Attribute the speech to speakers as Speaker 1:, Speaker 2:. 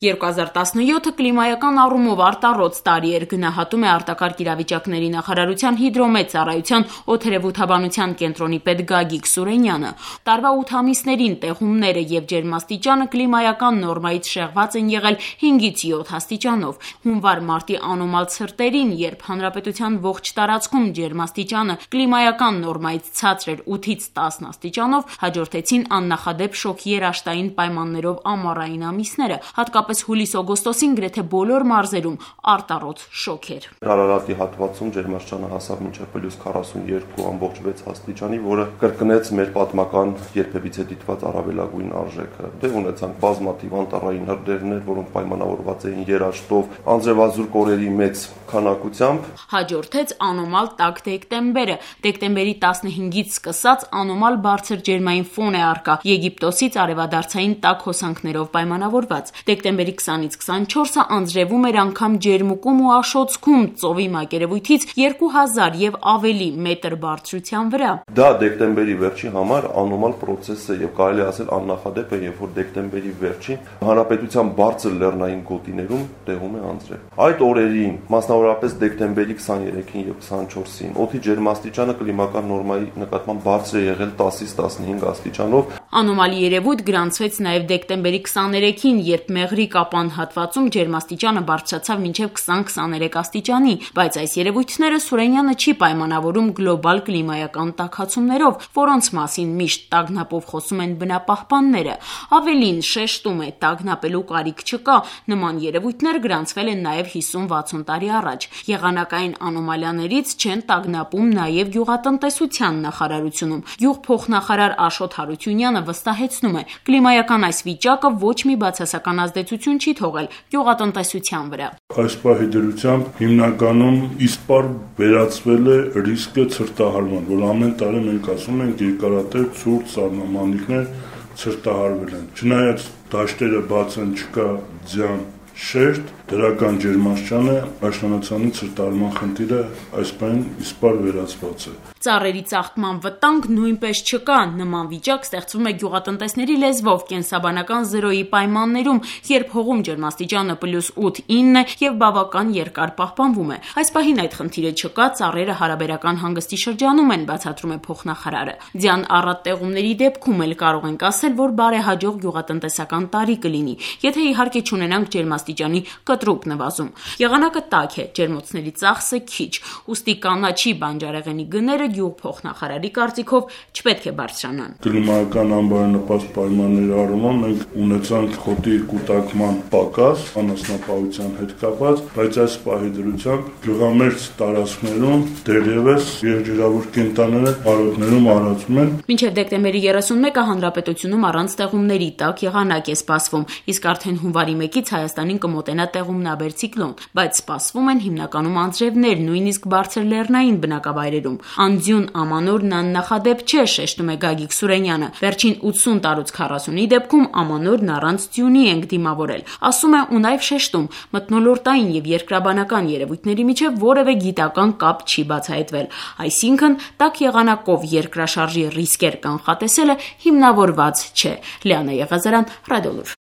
Speaker 1: 2017-ը կլիմայական առումով արտառոց տարի էր, գնահատում է արտակարգ իրավիճակների նախարարության հիդրոմետ ծառայության օդերևութաբանության կենտրոնի պետ Գագիկ Սուրենյանը։ Տարվա 8 ամիսներին տեղումները եւ ջերմաստիճանը կլիմայական նորմայից շեղված են եղել 5-ից 7 աստիճանով։ Հունվար-մարտի անոմալ ցրտերին, երբ հանրապետության ողջ տարածքում ջերմաստիճանը կլիմայական նորմայից ցածր էր 8-ից 10 աստիճանով, հաջորդեցին աննախադեպ շոկ երաշտային պայմաններով ամառային ամիսները, հատկապես հուլիս-օգոստոսին գրեթե բոլոր մարզերում արտառոց շոկ էր։
Speaker 2: Արարատի հատվածում ջերմաստիճանը հասավ մինչև +42.6 աստիճանի, որը կրկնեց մեր պատմական երբևիցե դիտված առավելագույն արժեքը։ Դե ունեցանք բազմաթիվ անտառային հրդեհներ, որոնք պայմանավորված էին երաշտով, անձրևազուրկ օրերի մեծ քանակությամբ։
Speaker 1: Հաջորդեց անոմալ տաք դեկտեմբերը։ Դեկտեմբերի 15-ից սկսած անոմալ բարձր ջերմային ֆոն է առկա Եգիպտոսից արևադարձային տաք հոսանքներով պայմանավորված։ Դեկտեմբերի 20-ից 24-ը անձրևում էր անգամ ջերմուկում ու աշոցքում ծովի մակերևույթից 2000 եւ ավելի մետր բարձրության վրա։
Speaker 2: Դա դեկտեմբերի վերջի համար անոմալ process է եւ կարելի է ասել աննախադեպ է, երբ որ դեկտեմբերի վերջին հանրապետության բարձր լեռնային գոտիներում տեղում է անձրև։ Այդ օրերին, մասնավորապես դեկտեմբերի 23-ին եւ 24-ին, օդի ջերմաստիճանը կլիմական նորմայի նկատմամբ բարձր է եղել 10-ից 15 աստիճանով։
Speaker 1: Անոմալի երևույթ գրանցվեց նաեւ դեկտեմբերի 23-ին, երբ Մեղրի Կապան հատվածում ջերմաստիճանը բարձրացավ մինչև 20-23 աստիճանի, բայց այս երևույթները Սուրենյանը չի պայմանավորում գլոբալ կլիմայական տաքացումներով, որոնց մասին միշտ տագնապով խոսում են բնապահպանները։ Ավելին, շեշտում է, տագնապելու կարիք չկա, նման երևույթներ գրանցվել են նաեւ 50-60 տարի առաջ։ Եղանակային անոմալիաներից չեն տագնապում նաեւ գյուղատնտեսության նախարարությունում։ Գյուղփոխնախարար Աշոտ Հարությունյանը վստահեցնում է, կլիմայական այս վիճակը ոչ մի բացասական ազդեցություն չի թողել գյուղատնտեսության վրա։
Speaker 3: Այս պահի դրությամբ հիմնականում իսպառ վերածվել է ռիսկը ցրտահարման, որ ամեն տարի մենք ասում ենք երկարատև ցուրտ սառնամանիքներ ցրտահարվել են։ Չնայած դաշտերը բաց են, չկա ձյան շերտ, դրական ջերմաստիճանը աշնանացանի ցրտահարման խնդիրը այս պահին իսպառ վերածված է։
Speaker 1: Ծառերի ծաղկման վտանգ նույնպես չկա։ Նման վիճակ ստեղծվում է գյուղատնտեսների լեզվով կենսաբանական զրոյի պայմաններում, երբ հողում ջերմաստիճանը +8-9 է եւ բավական երկար պահպանվում է։ Այս պահին այդ խնդիրը չկա, ծառերը հարաբերական հանգստի շրջանում են, բացատրում է փոխնախարարը։ Ձյան առատ տեղումների դեպքում էլ կարող ենք ասել, որ բարեհաջող գյուղատնտեսական տարի կլինի, եթե իհարկե չունենանք ջերմաստիճանի կտրուկ նվազում։ Եղանակը տաք է, ջերմոցների ծախսը քիչ, ուստի կանաչի բանջարեղենի գները գյուղփոխնախարարի կարծիքով չպետք է բարձրանան։
Speaker 3: Կլիմայական անբարենպաստ պայմանների առումով մենք ունեցանք խոտի կուտակման պակաս անասնապահության հետ կապված, բայց այս պահի դրությամբ գյուղամերձ տարածքներում դեռևս եղջերավոր կենդանիները արոտներում արածում են։
Speaker 1: Մինչև դեկտեմբերի 31-ը հանրապետությունում առանց տեղումների տաք եղանակ է սպասվում, իսկ արդեն հունվարի 1-ից Հայաստանին կմոտենա տեղումնաբեր ցիկլոն, բայց սպասվում են հիմնականում անձրևներ, նույնիսկ բարձր լեռնային բնակավայրերում։ Անձյուն ամանորն աննախադեպ չէ, շեշտում է Գագիկ Սուրենյանը։ Վերջին 80 տարուց 40-ի դեպքում ամանորն առանց ձյունի ենք դիմավորել։ Ասում է ու նաև շեշտում, մթնոլորտային եւ երկրաբանական երևույթների միջև որևէ գիտական կապ չի բացահայտվել։ Այսինքն, տաք եղանակով երկրաշարժի ռիսկեր կանխատեսելը հիմնավորված չէ։ Լիանա Եղազարյան, Ռադիոլուր։